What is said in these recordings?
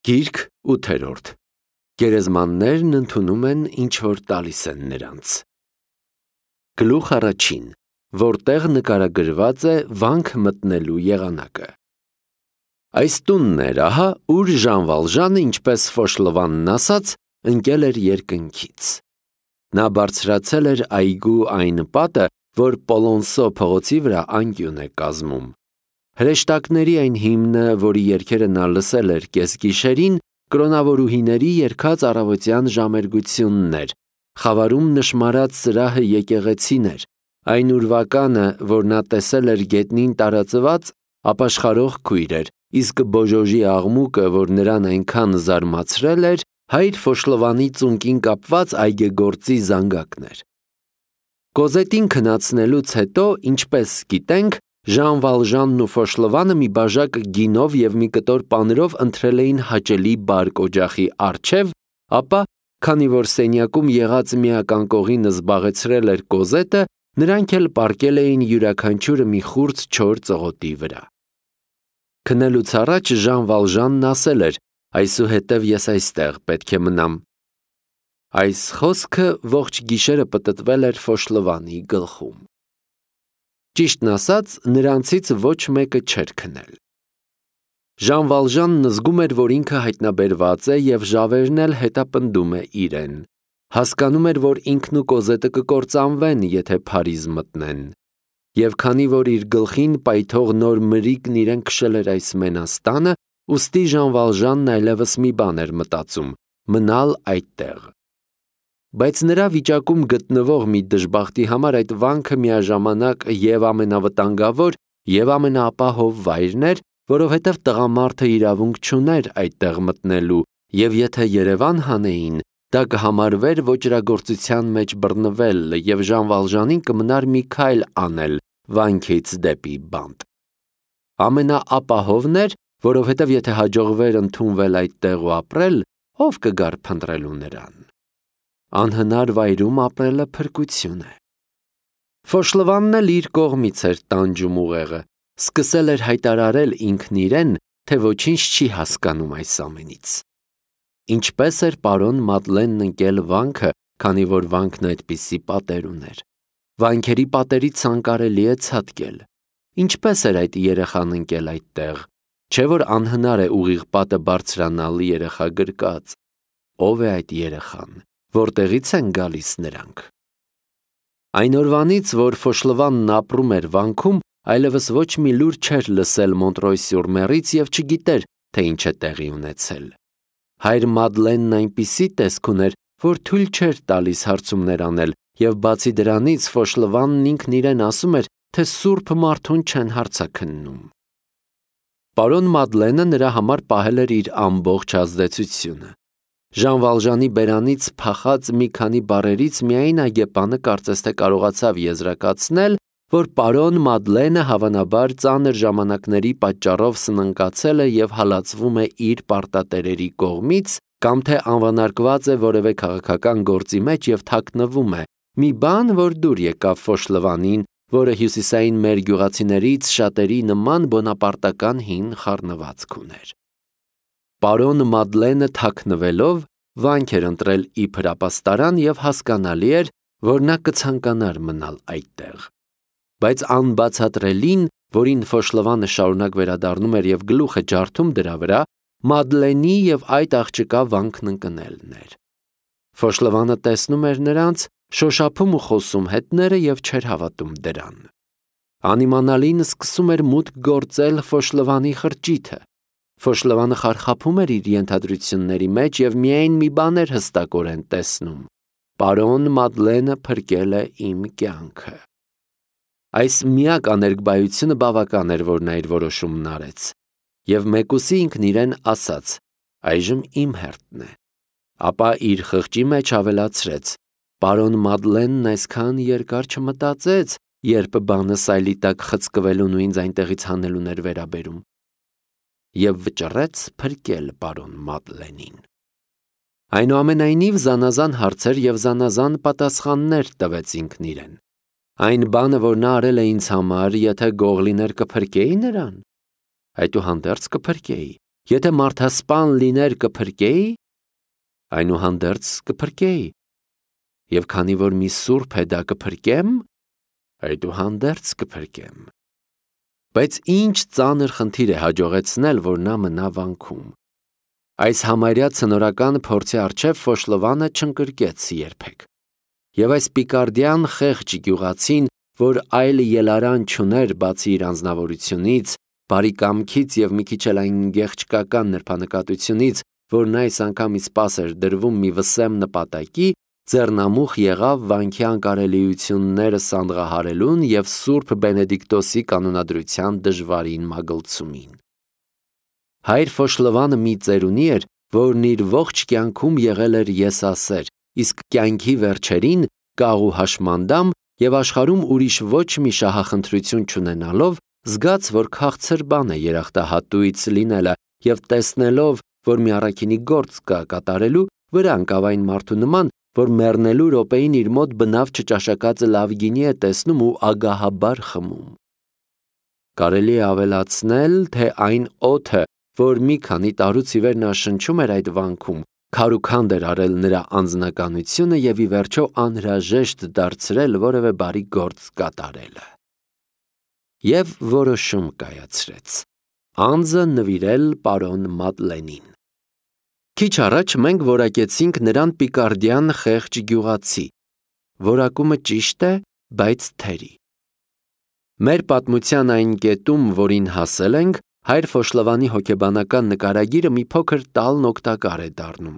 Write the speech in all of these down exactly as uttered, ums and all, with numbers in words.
Գիրք ութերորդ. Գերեզմաններն ընդունում են, ինչ որ տալիս են նրանց։ Գլուխ առաջին, որտեղ նկարագրված է վանք մտնելու եղանակը։ Այս տունն էր, ահա, ուր Ժան Վալժանը, ինչպես Ֆոշլովանն ասաց, ընկել էր երկնքից։ Նա բարձրացել էր այգու այն պատը, որ Պոլոնսո փողոցի վրա անկյուն է կազմում։ Հրեշտակների այն հիմնը, որի երգերը նա լսել էր կեսգիշերին, կրոնավորուհիների երգած առավոտյան ժամերգությունն էր, խավարում նշմարած սրահը եկեղեցին էր, այն ուրվականը, որ նա տեսել էր գետնին տարածված, ապաշխարող քույր էր, իսկ բոժոժի աղմուկը, որ նրան այնքան զարմացրել էր, հայր Ֆոշլովանի ծունկին կապված այգեգործի զանգակն էր։ Կոզետին քնացնելուց հետո, ինչպես գիտենք, Ժան Վալժանն ու Ֆոշլովանը մի բաժակ գինով և մի կտոր պանրով ընթրել էին հաճելի բարկ օջախի առջև, ապա, քանի որ սենյակում եղած միակ անկողինը զբաղեցրել էր Կոզետը, նրանք էլ պառկել էին յուրաքանչյուրը մի խուրձ չոր ծղոտի վրա։ Քնելուց առաջ Ժան Վալժանն ասել էր. «Այսուհետև ես այստեղ պետք է մնամ»։ Այս խոսքը ողջ գիշերը պտտվել էր Ֆոշլովանի գլխում։ Ճիշտն ասած, նրանցից ոչ մեկը չէր քնել։ Ժան Վալժանն զգում էր, որ ինքը հայտնաբերված է և ժավերն էլ հետապնդում է իրեն։ Հասկանում էր, որ ինքն ու Կոզետը կկործանվեն, եթե Փարիզ մտնեն։ Եվ քանի որ իր գլխին պայթող նոր մրիկն իրեն քշել էր այս մենաստանը, ուստի Ժան Վալժանն այլևս մի բան էր մտածում՝ մնալ այդտեղ։ Բայց նրա վիճակում գտնվող մի դժբախտի համար այդ վանքը միաժամանակ և ամենավտանգավոր, և ամենաապահով վայրն էր, որովհետև տղամարդը իրավունք չուներ այդտեղ մտնելու, և եթե Երևան հանեին, դա կհամարվեր ոճրագործության մեջ բռնվել, և Ժան Վալժանին կմնար մի քայլ անել վանքից դեպի բանտ։ Ամենաապահովն էր, որովհետև եթե հաջողվեր ընդունվել այդտեղ ու ապրել, ով կգար փնտրելու նրան։ Անհնար վայրում ապրելը փրկություն է։ Ֆոշլովանն էլ իր կողմից էր տանջում ուղեղը, սկսել էր հայտարարել ինքն իրեն, թե ոչինչ չի հասկանում այս ամենից։ Ինչպես էր պարոն Մադլենն ընկել վանքը, քանի որ վանքն այդպիսի պատեր ուներ։ Վանքերի պատերից անկարելի է ցատկել։ Ինչպես էր այդ երեխան ընկել այդտեղ, չէ որ անհնար է ուղիղ պատը բարձրանալ երեխա գրկած։ Ով է այդ երեխան, որտեղից են գալիս նրանք։ Այն օրվանից, որ Ֆոշլովանն ապրում էր վանքում, այլևս ոչ մի լուր չէր լսել Մոնտրոյ-սյուր-Մերից և չգիտեր, թե ինչ է տեղի ունեցել։ Հայր Մադլենն այնպիսի տեսք ուներ, որ թույլ չէր տալիս հարցումներ անել, և բացի դրանից Ֆոշլովանն ինքն իրեն ասում էր, թե սուրբ մարդուն չեն հարցաքննում։ Պարոն Մադլենը նրա համար պահել էր իր ամբողջ ազդեցությունը։ Ժան Վալժանի բերանից փախած մի քանի բառերից միայն այգեպանը կարծես թե կարողացավ եզրակացնել, որ պարոն Մադլենը հավանաբար ծանր ժամանակների պատճառով սնանկացել է և հալածվում է իր պարտատերերի կողմից, կամ թե անվանարկված է որևէ քաղաքական գործի մեջ և թաքնվում է, մի բան, որ դուր եկավ Ֆոշլովանին, որը հյուսիսային մեր գյուղացիներից շատերի նման բոնապարտական հին խառնվածք ուներ։ Պարոն Մադլենը թաքնվելով վանք էր ընտրել իբր ապաստարան և հասկանալի էր, որ նա կցանկանար մնալ այդտեղ։ Բայց անբացատրելին, որին Ֆոշլովանը շարունակ վերադառնում էր և գլուխ է ջարդում դրա վրա, Մադլենի և այդ աղջկա վանքն ընկնելն էր։ Ֆոշլովանը տեսնում էր նրանց, շոշափում ու խոսում հետները և չէր հավատում դրան։ Անիմանալին սկսում էր մուտք գործել Ֆոշլովանի խրճիթը։ Ֆոշլովանը խարխափում էր իր ենթադրությունների մեջ և միայն մի բան էր հստակորեն տեսնում. պարոն Մադլենը փրկել է իմ կյանքը։ Այս միակ աներկբայությունը բավական էր, որ նա իր որոշումն արեց։ Եվ մեկուսի ինքն իրեն ասաց. այժմ իմ հերթն է։ Ապա իր խղճի մեջ ավելացրեց. պարոն Մադլենն այսքան երկար չմտածեց, երբ բանը սայլի տակ խցկվելուն ու ինձ այնտեղից հանելուն էր վերաբերում։ Եվ վճռեց փրկել պարոն Մադլենին։ Այնուամենայնիվ զանազան հարցեր և զանազան պատասխաններ տվեց ինքն իրեն։ Այն բանը, որ նա արել է ինձ համար, եթե գող լիներ կփրկեի նրան։ Այդուհանդերձ կփրկեի, Եթե մարդասպան լիներ կփրկեի, այնուհանդերձ կփրկեի, և քանի որ մի սուրբ է դա կփրկեմ, այդուհանդերձ կփրկեմ։ Բայց ինչ ծանր խնդիր է հաջողեցնել, որ նա մնա վանքում։ Այս համարյա ցնորական փորձի առջև Ֆոշլովանը չընկրկեց երբեք։ Եվ այս պիկարդյան խեղճ գյուղացին, որ այլ ելարան չուներ բացի իր անձնավորությունից, բարի կամքից և մի քիչ էլ այն գեղչկական նրբանկատությունից, որն այս անգամ իսպաս էր դրվում մի վսեմ նպատակի, ձեռնամուխ եղավ վանքի անկարելիությունները սանդղահարելուն և Սուրբ Բենեդիկտոսի կանոնադրության դժվարին մագլցումին։ Հայր Ֆոշլովանը մի ծերունի էր, որն իր ողջ կյանքում եղել էր եսասեր, իսկ կյանքի վերջերին կաղ ու հաշմանդամ և աշխարհում ուրիշ ոչ մի շահախնդրություն չունենալով, զգաց, որ քաղցր բան է երախտահատույց լինելը և տեսնելով, որ մի առաքինի գործ կա կատարելու, վրա ընկավ այն մարդու նման, որ մեռնելու րոպեին իր մոտ բնավ չճաշակածը լավ գինի է տեսնում ու ագահաբար խմում։ Կարելի է ավելացնել, թե այն օդը, որ մի քանի տարուց ի վեր նա շնչում էր այդ վանքում, քարուքանդ էր արել նրա անձնականությունը և ի վերջո անհրաժեշտ դարձրել որևէ բարի գործ կատարելը։ Եվ որոշում կայացրեց. անձը նվիրել պարոն Մադլենին։ Քիչ առաջ մենք որակեցինք նրան պիկարդյան խեղճ գյուղացի։ Որակումը ճիշտ է, բայց թերի։ Մեր պատմության այն կետում, որին հասել ենք, հայր Ֆոշլովանի հոգեբանական նկարագիրը մի փոքր տալն օգտակար է դառնում։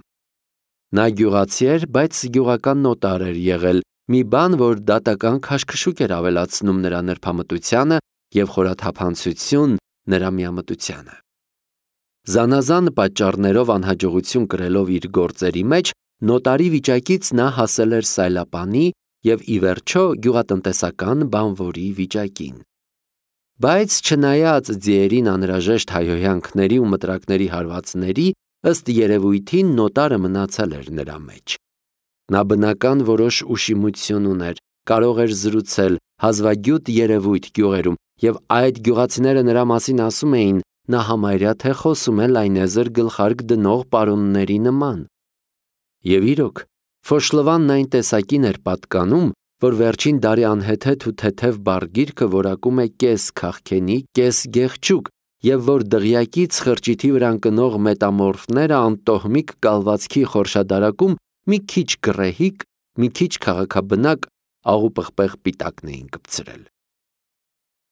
Նա գյուղացի էր, բայց գյուղական նոտար էր եղել, մի բան, որ դատական քաշքշուկ էր ավելացնում նրա նրբամտությանը և խորաթափանցություն նրա միամտությանը։ Զանազան պատճառներով անհաջողություն կրելով իր գործերի մեջ, նոտարի վիճակից նա հասել էր սայլապանի և ի վերջո գյուղատնտեսական բանվորի վիճակին։ Բայց չնայած ձիերին անհրաժեշտ հայհոյանքների ու մտրակների հարվածների, ըստ երևույթին նոտարը մնացել էր նրա մեջ։ Նա բնական որոշ ուշիմություն ուներ, կարող էր զրուցել, հազվագյուտ երևույթ գյուղերում, և այդ գյուղացիները նրա մասին ասում էին, նա համարյա թե խոսում է լայնեզր գլխարկ դնող պարոնների նման։ Եվ իրոք, Ֆոշլովանն այն տեսակին էր պատկանում, որ վերջին դարի անհեթեթ ու թեթև բարգիրկը որակում է կես քաղքենի, կես գեղչուկ, և որ դղյակից խրճիթի վրա ընկնող մետամորֆները անտոհմիկ կալվածքի խորշադարակում մի քիչ գռեհիկ, մի քիչ քաղաքաբնակ աղուպղպեղ պիտակն էին կպցրել։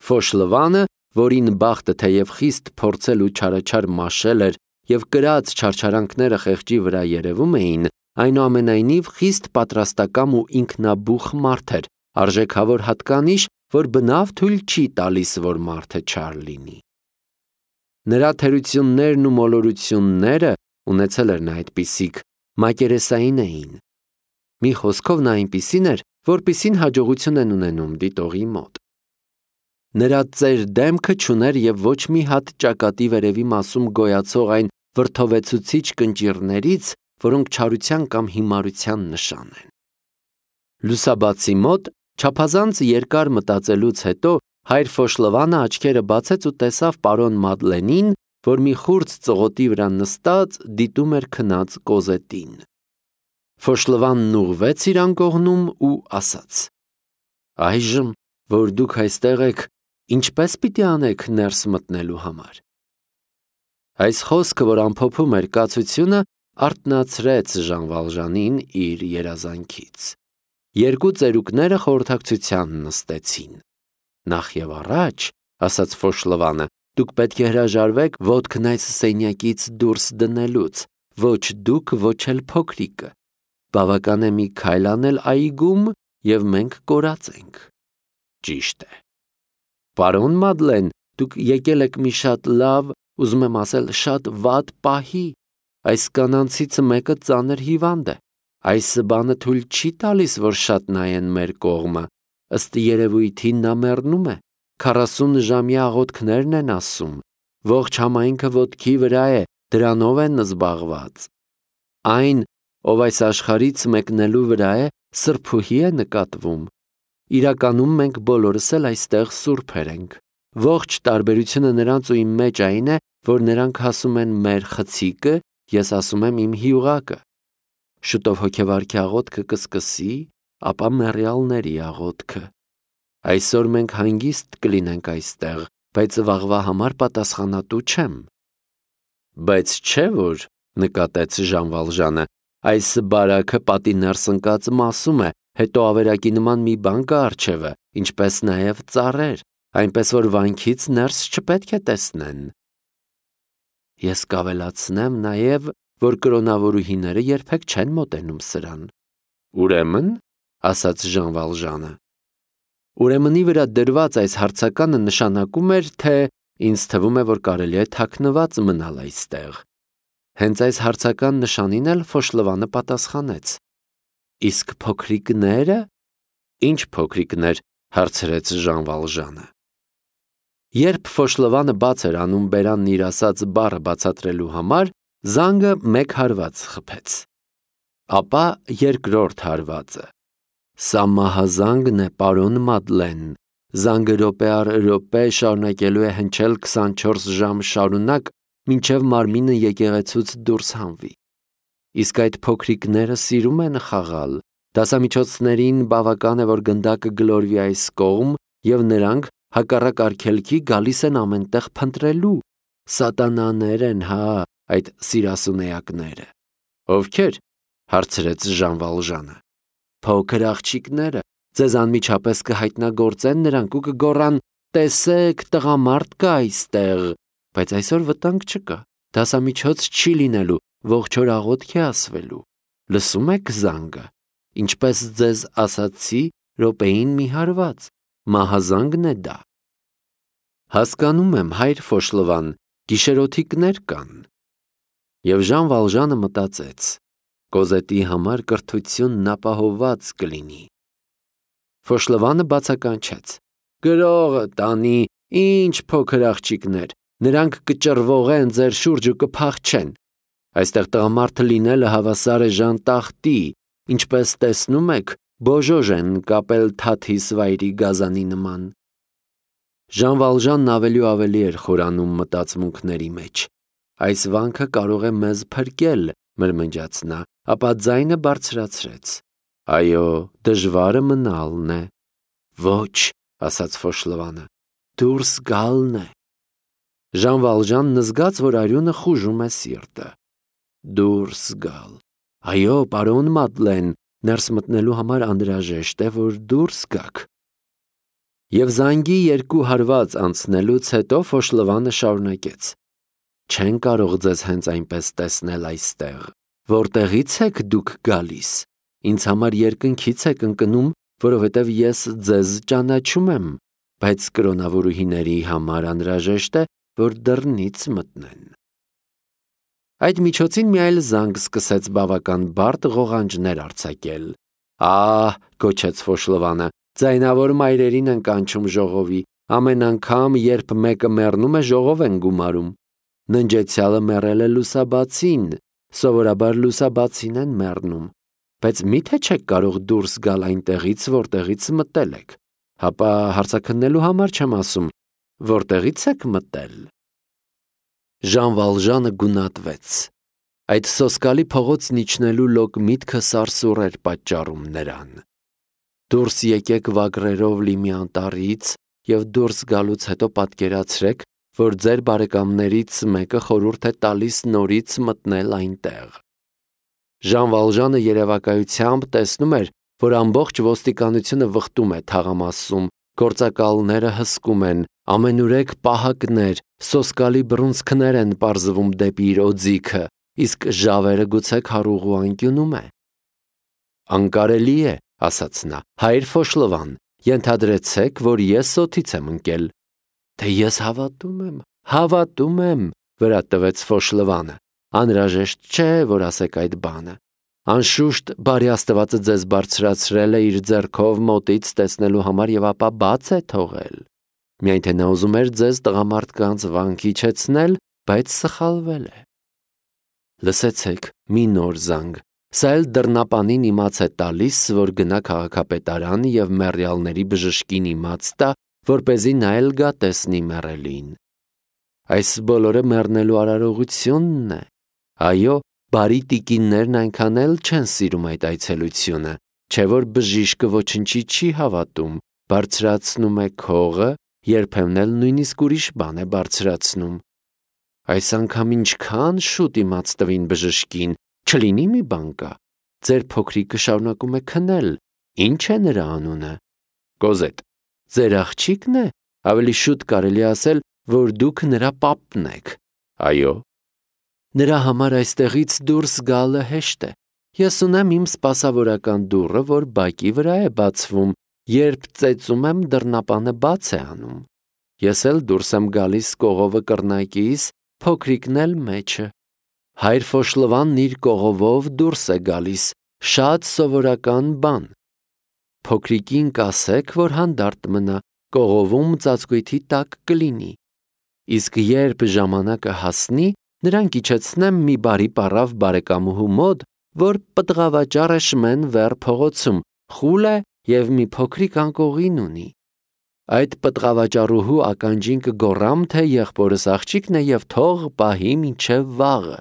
Ֆոշլովանը, որին բախտը թեև խիստ փորձել ու չարաչար մաշել էր և կրած չարչարանքները խեղճի վրա երևում էին, այնուամենայնիվ խիստ պատրաստակամ ու ինքնաբուխ մարդ էր, արժեքավոր հատկանիշ, որ բնավ թույլ չի տալիս, որ մարդը չար լինի։ Նրա թերություններն ու մոլորությունները, ունեցել էր նա այդպիսիք, մակերեսային էին։ Մի խոսքով նա այնպիսին էր, որպիսին հաջողություն են ունենում դիտողի մոտ։ Նրա ծեր դեմքը չուներ և ոչ մի հատ ճակատի վերևի մասում գոյացող այն վրդովեցուցիչ կնճիռներից, որոնք չարության կամ հիմարության նշան են։ Լուսաբացի մոտ, չափազանց երկար մտածելուց հետո, հայր Ֆոշլովանը աչքերը բացեց ու տեսավ պարոն Մադլենին, որ մի խուրձ ծղոտի վրա նստած դիտում էր քնած Կոզետին։ Ֆոշլովանն ուղղվեց իր անկողնում ու ասաց. «Այժմ, որ դուք այստեղ եք, ինչպե՞ս պիտի անեք ներս մտնելու համար»։ Այս խոսքը, որ ամփոփում էր կացությունը, արթնացրեց Ժան Վալժանին իր երազանքից։ Երկու ծերուկները խորհրդակցության նստեցին։ «Նախ և առաջ, — ասաց Ֆոշլովանը, — դուք պետք է հրաժարվեք ոտքն այս սենյակից դուրս դնելուց, ոչ դուք, ոչ էլ փոքրիկը։ Բավական է մի քայլ անել այգում, և մենք կորած ենք»։ Ճիշտ է։ Պարոն Մադլեն, դուք եկել եք մի շատ լավ, ուզում եմ ասել, շատ վատ պահի։ Այս կանանցիցը մեկը ծանր հիվանդ է։ Այս բանը թույլ չի տալիս, որ շատ նայեն մեր կողմը։ Ըստ երևույթին նա մեռնում է։ Քառասուն ժամյա աղոթքներն են ասում։ Ողջ համայնքը ոտքի վրա է, դրանով են զբաղված։ Այն, ով այս աշխարհից մեկնելու վրա է, սրբուհի է նկատվում։ Իրականում մենք բոլորս էլ այստեղ սուրբեր ենք։ Ողջ տարբերությունը նրանց ու իմ մեջ այն է, որ նրանք ասում են մեր խցիկը, ես ասում եմ իմ հյուղակը։ Շուտով հոգևարքի աղոթքը կսկսի, ապա մեռյալների աղոթքը։ Այսօր մենք հանգիստ կլինենք այստեղ, բայց վաղվա համար պատասխանատու չեմ։ Բայց չէ որ, նկատեց Ժան Վալժանը, այս բարաքը պատի ներս ընկած մասում է, հետո ավերակի նման մի բան կա առջևը, ինչպես նաև ծառեր, այնպես որ վանքից ներս չպետք է տեսնեն։ Ես կավելացնեմ նաև, որ կրոնավորուհիները երբեք չեն մոտենում սրան։ Ուրեմն, ասաց Ժան Վալժանը, ուրեմնի վրա դրված այս հարցականը նշանակում էր, թե ինձ թվում է, որ կարելի է թաքնված մնալ այստեղ։ Հենց այս հարցական նշանին էլ Ֆոշլովանը պատասխանեց. Իսկ փոքրիկները, ինչ փոքրիկներ, հարցրեց Ժան Վալժանը։ Երբ Ֆոշլովանը բաց էր անում բերանն իր ասած բառը բացատրելու համար, զանգը մեկ հարված խփեց։ Ապա երկրորդ հարվածը. Սա մահազանգն է, պարոն Մադլեն, զանգը րոպե առ րոպե շարունակելու է հնչել քսանչորս ժամ շարունակ, մինչև մարմինը եկեղեցուց դուրս հանվի։ Իսկ այդ փոքրիկները սիրում են խաղալ, դասամիջոցներին բավական է, որ գնդակը գլորվի այս կողմ, և նրանք հակառակ արգելքի գալիս են ամենտեղ փնտրելու։ Սատանաներ են, հա, այդ սիրասունեակները։ Ովքեր, հարցրեց Ժան Վալժանը։ Փոքր աղջիկները, ձեզ անմիջապես կհայտնագործեն նրանք ու կգոռան. տեսեք, տղամարդ կա այստեղ, բայց այսօր վտանգ չկա, դասամիջոց չի լինելու, ողջ օր աղոթք է ասվելու։ Լսում եք զանգը, ինչպես ձեզ ասացի, րոպեին մի հարված, մահազանգն է դա։ Հասկանում եմ, հայր Ֆոշլովան, գիշերօթիկներ կան։ Եվ Ժան Վալժանը մտածեց. Կոզետի համար կրթությունն ապահովված կլինի։ Ֆոշլովանը բացականչեց. Գրողը տանի, ինչ փոքր աղջիկներ, նրանք կճռվողեն ձեր շուրջը կփախչեն։ Այստեղ տղամարդը լինելը հավասար է ժանտախտի, ինչպես տեսնում եք, բոժոժ են կապել թաթիս վայրի գազանի նման։ Ժան Վալժանն ավելի ու ավելի էր խորանում մտածմունքների մեջ։ Այս վանքը կարող է մեզ փրկել, մրմնջաց նա, ապա ձայնը բարձրացրեց. Այո, դժվարը մնալն է։ Ոչ, ասաց Ֆոշլովանը, դուրս գալն է։ Ժան Վալժանն զգաց, որ արյունը խուժում է սիրտը։ Դուրս գալ։ Այո, պարոն Մադլեն, ներս մտնելու համար անհրաժեշտ է, որ դուրս գաք։ Եվ զանգի երկու հարված անցնելուց հետո Ֆոշլովանը շարունակեց. Չեն կարող ձեզ հենց այնպես տեսնել այստեղ, որտեղից եք դուք գալիս, ինձ համար երկնքից եք ընկնում, որովհետև ես ձեզ ճանաչում եմ, բայց կրոնավորուհիների համար անհրաժեշտ է, որ դռնից մտնեն։ Այդ միջոցին մի այլ զանգ սկսեց բավական բարդ ղողանջներ արձակել։ Ահ, գոչեց Ֆոշլովանը, ձայնավոր մայրերին են կանչում ժողովի, ամեն անգամ, երբ մեկը մեռնում է, ժողով են գումարում։ Ննջեցյալը մեռել է լուսաբացին, սովորաբար լուսաբացին են մեռնում, բայց միթե չեք կարող դուրս գալ այնտեղից, որտեղից մտել եք, հապա հարցաքննելու համար չեմ ասում, որտեղից եք մտել։ Ժան Վալժանը գունատվեց։ Այդ սոսկալի փողոցն իջնելու լոկ միտքը սարսուռ էր պատճառում նրան։ Դուրս եկեք վագրերով լի մի անտառից և դուրս գալուց հետո պատկերացրեք, որ ձեր բարեկամներից մեկը խորհուրդ է տալիս նորից մտնել այնտեղ։ Ժան Վալժանը երևակայությամբ տեսնում էր, որ ամբողջ ոստիկանությունը վխտում է թաղամասում, գործակալները հսկում են, ամենուրեք պահակներ, սոսկալի բռունցքներ են պարզվում դեպի իր օձիքը, իսկ ժավերը գուցե քարուղու անկյունում է։ Անկարելի է, ասաց նա, հայր Ֆոշլովան, ենթադրեցեք, որ ես օդից եմ ընկել։ Թե ես հավատում եմ, հավատում եմ, վրա տվեց Ֆոշլովանը, անհրաժեշտ չէ, որ ասեք այդ բանը։ Անշուշտ բարի Աստվածը ձեզ բարձրացրել է իր ձեռքով մոտից տեսնելու համար և ապա բաց է թողել։ Միայն թե նա ուզում էր ձեզ տղամարդկանց վանքի իջեցնել, բայց սխալվել է։ Լսեցեք, մի նոր զանգ։ Սա էլ դռնապանին իմաց է տալիս, որ գնա քաղաքապետարան և մեռյալների բժշկին իմաց տա, որպեսզի նա էլ գա տեսնի մեռելին։ Այս բոլորը մեռնելու արարողությունն է։ Այո, բարի տիկիններն այնքան էլ չեն սիրում այդ այցելությունը, չէ որ բժիշկը ոչնչի չի հավատում, բարձրացնում է քողը, երբեմն էլ նույնիսկ ուրիշ բան է բարձրացնում։ Այս անգամ ինչքան շուտ իմաց տվին բժշկին, չլինի մի բան կա։ Ձեր փոքրիկը շարունակում է քնել, ի՞նչ է նրա անունը։ Կոզետ, ձեր աղջիկն է, ավելի շուտ կարելի ասել, որ դուք նրա պապն եք։ Այո։ Նրա համար այստեղից դուրս գալը հեշտ է։ Ես ունեմ իմ սպասավորական դուռը, որ բակի վրա է բացվում, երբ ծեծում եմ դռնապանը բաց է անում։ Ես էլ դուրս եմ գալիս կողովը կռնակիս, փոքրիկն էլ մեջը։ Հայր Ֆոշլվանն իր կողովով դուրս է գալիս, շատ սովորական բան։ Փոքրիկին կասեք, որ հանդարտ մնա, կողովում ծածկույթի տակ կլինի։ Իսկ երբ ժամանակը հասնի, նրան կիջեցնեմ մի բարի պառավ բարեկամուհու մոտ, որ պտղավաճառ է շմեն վեր փողոցում, խուլ է և մի փոքրիկ անկողին ունի։ Այդ պտղավաճառուհու ականջին կգոռամ, թե եղբորս աղջիկն է և թող պահի մինչև վաղը։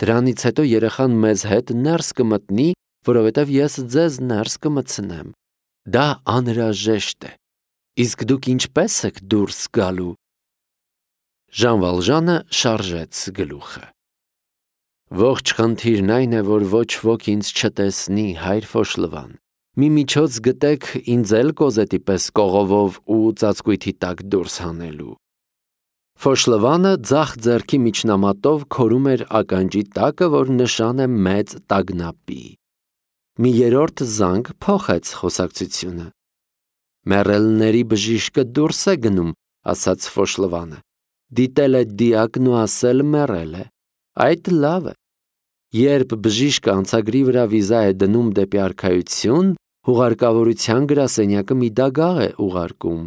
Դրանից հետո երեխան մեզ հետ ներս կմտնի, որովհետև ես ձեզ ներս կմտցնեմ։ Դա անհրաժեշտ է։ Իսկ դուք ինչպե՞ս եք դուրս գալու։ Ժան Վալժանը շարժեց գլուխը։ Ողջ խնդիրն այն է, որ ոչ ոք ինձ չտեսնի, հայր Ֆոշլվան։ Մի միջոց գտեք ինձ էլ Կոզետի պես կողովով ու ծածկույթի տակ դուրս հանելու։ Ֆոշլվանը ձախ ձեռքի միջնամատով քորում էր ականջի տակը, որ նշան է մեծ տագնապի։ Մի երրորդ զանգ փոխեց խոսակցությունը։ Մեռելների բժիշկը դուրս է գնում, ասաց Ֆոշլվանը։ Դիտել է դիակն ու ասել մեռել է։ Այդ լավ է։ Երբ բժիշկը անցագրի վրա վիզա է դնում դեպի արքայություն, հուղարկավորության գրասենյակը մի դագաղ է ուղարկում։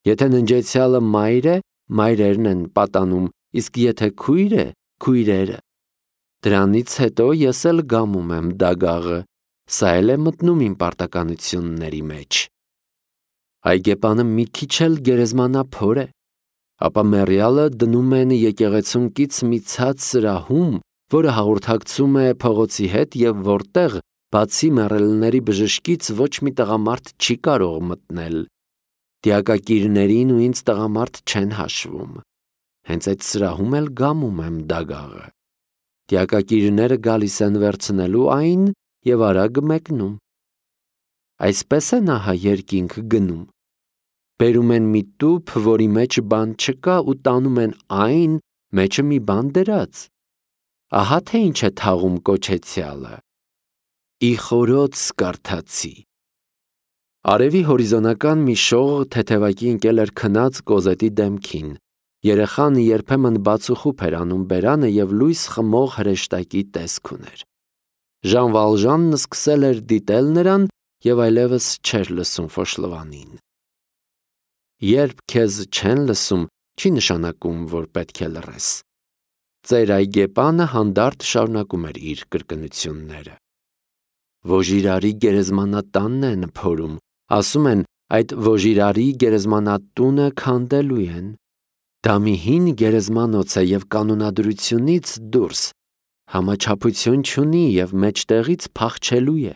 Եթե ննջեցյալը մայր է, մայրերն են պատանում, իսկ եթե քույր է, քույրերը։ Դրանից հետո ես էլ գամում եմ դագաղը, սա էլ է մտնում իմ պարտականությունների մեջ։ Այգեպանը մի քիչ էլ գերեզմանափոր է, ապա մեռյալը դնում են եկեղեցունքից մի ցած սրահում, որը հաղորդակցում է փողոցի հետ և որտեղ, բացի մեռելների բժշկից, ոչ մի տղամարդ չի կարող մտնել։ Դիակակիրներին ու ինձ տղամարդ չեն հաշվում։ Հենց այդ սրահում էլ գամում եմ դագաղը։ Դիակակիրները գալիս են վերցնելու այն և արագ մեկնում։ Այսպես է նա հա երկինք գնում։ Բերում են մի տուփ, որի մեջ բան չկա, ու տանում են այն, մեջը մի բան դրած։ Ահա թե ինչ է թաղում կոչեցյալը։ Ի խորոց կարդացի։ Արևի հորիզոնական մի շող թեթևակի ընկել էր քնած Կոզետի դեմքին։ Երեխան երբեմն բացուխուփ էր անում բերանը և լույս խմող հրեշտակի տեսք ուներ։ Ժան Վալժանն սկսել էր դիտել նրան և այլևս չէր լսում Ֆոշլվանին։ Երբ քեզ չեն լսում, չի նշանակում, որ պետք է լռես։ Ծեր այգեպանը հանդարտ շարունակում էր իր կրկնությունները։ Ոժիրարի գերեզմանատանն են փորում, ասում են, այդ Ոժիրարի գերեզմանատունը քանդելու են։ Դա մի հին գերեզմանոց է և կանոնադրությունից դուրս, համաչափություն չունի և մեջտեղից փախչելու է։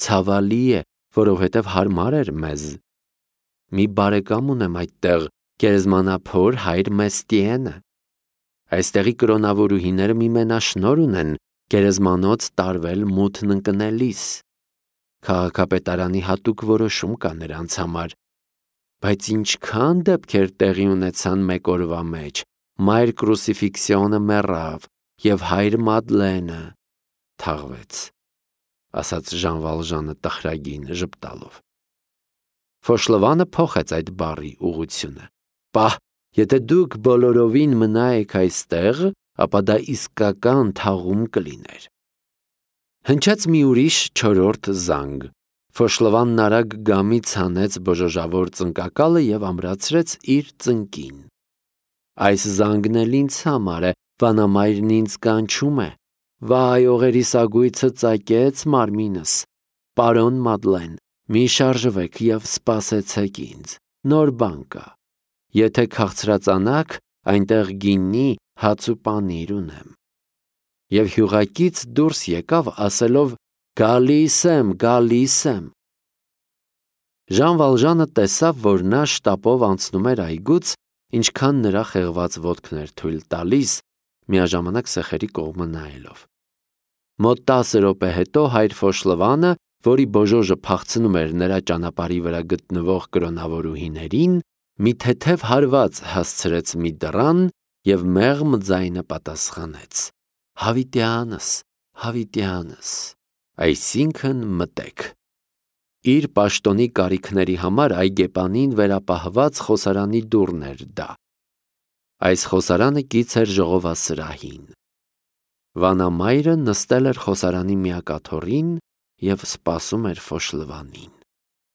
Ցավալի է, որովհետև հարմար էր մեզ։ Մի բարեկամ ունեմ այդտեղ, գերեզմանափոր հայր Մեստիենը։ Այստեղի կրոնավորուհիները մի մենաշնորհ ունեն գերեզմանոց տարվել մութն ընկնելիս։ Քաղաքապետարանի հատուկ որոշում կա նրանց համար։ Բայց ինչքան դեպքեր տեղի ունեցան մեկ օրվա մեջ, մայր Կրուսիֆիքսիոնը մեռավ և հայր Մադլենը թաղվեց, ասաց Ժան Վալժանը տխրագին ժպտալով։ Ֆոշլվանը փոխեց այդ բառի ուղղությունը։ Պահ, եթե դուք բոլորովին մնայեք այստեղ, ապա դա իսկական թաղում կլիներ։ Հնչեց մի ուրիշ չորրորդ զանգ։ Ֆոշլվանն արագ գամից հանեց բոժոժավոր ծնկակալը և ամրացրեց իր ծնկին։ Այս զանգն էլ ինձ համար է, վանամայրն ինձ կանչում է։ Վայ, օղերիս ագույցը ծակեց մարմինս։ Պարոն Մադլեն, մի շարժվեք և սպասեցեք ինձ, նոր բան կա։ Եթե քաղցրածանաք, այնտեղ գինի, հաց ու պանիր ունեմ։ Եվ հյուղակից դուրս եկավ ասելով. «Գալիս եմ, գալիս եմ»։ Ժան Վալժանը տեսավ, որ նա շտապով անցնում էր այգուց, ինչքան նրա խեղված ոտքն էր թույլ տալիս, միաժամանակ սեխերի կողմը նայելով։ Մոտ տասը րոպե հետո հայր Ֆոշլվանը, որի բոժոժը փախցնում էր նրա ճանապարհի վրա գտնվող կրոնավորուհիներին, մի թեթև հարված հասցրեց մի դռան և մեղմ ձայնը պատասխանեց. «Հավիտյանս, հավիտյանս, այսինքն մտեք»։ Իր պաշտոնի կարիքների համար այգեպանին վերապահված խոսարանի դուռն էր դա։ Այս խոսարանը կից էր ժողովասրահին։ Վանամայրը նստել էր խոսարանի միակ աթոռին և սպասում էր Ֆոշլվանին։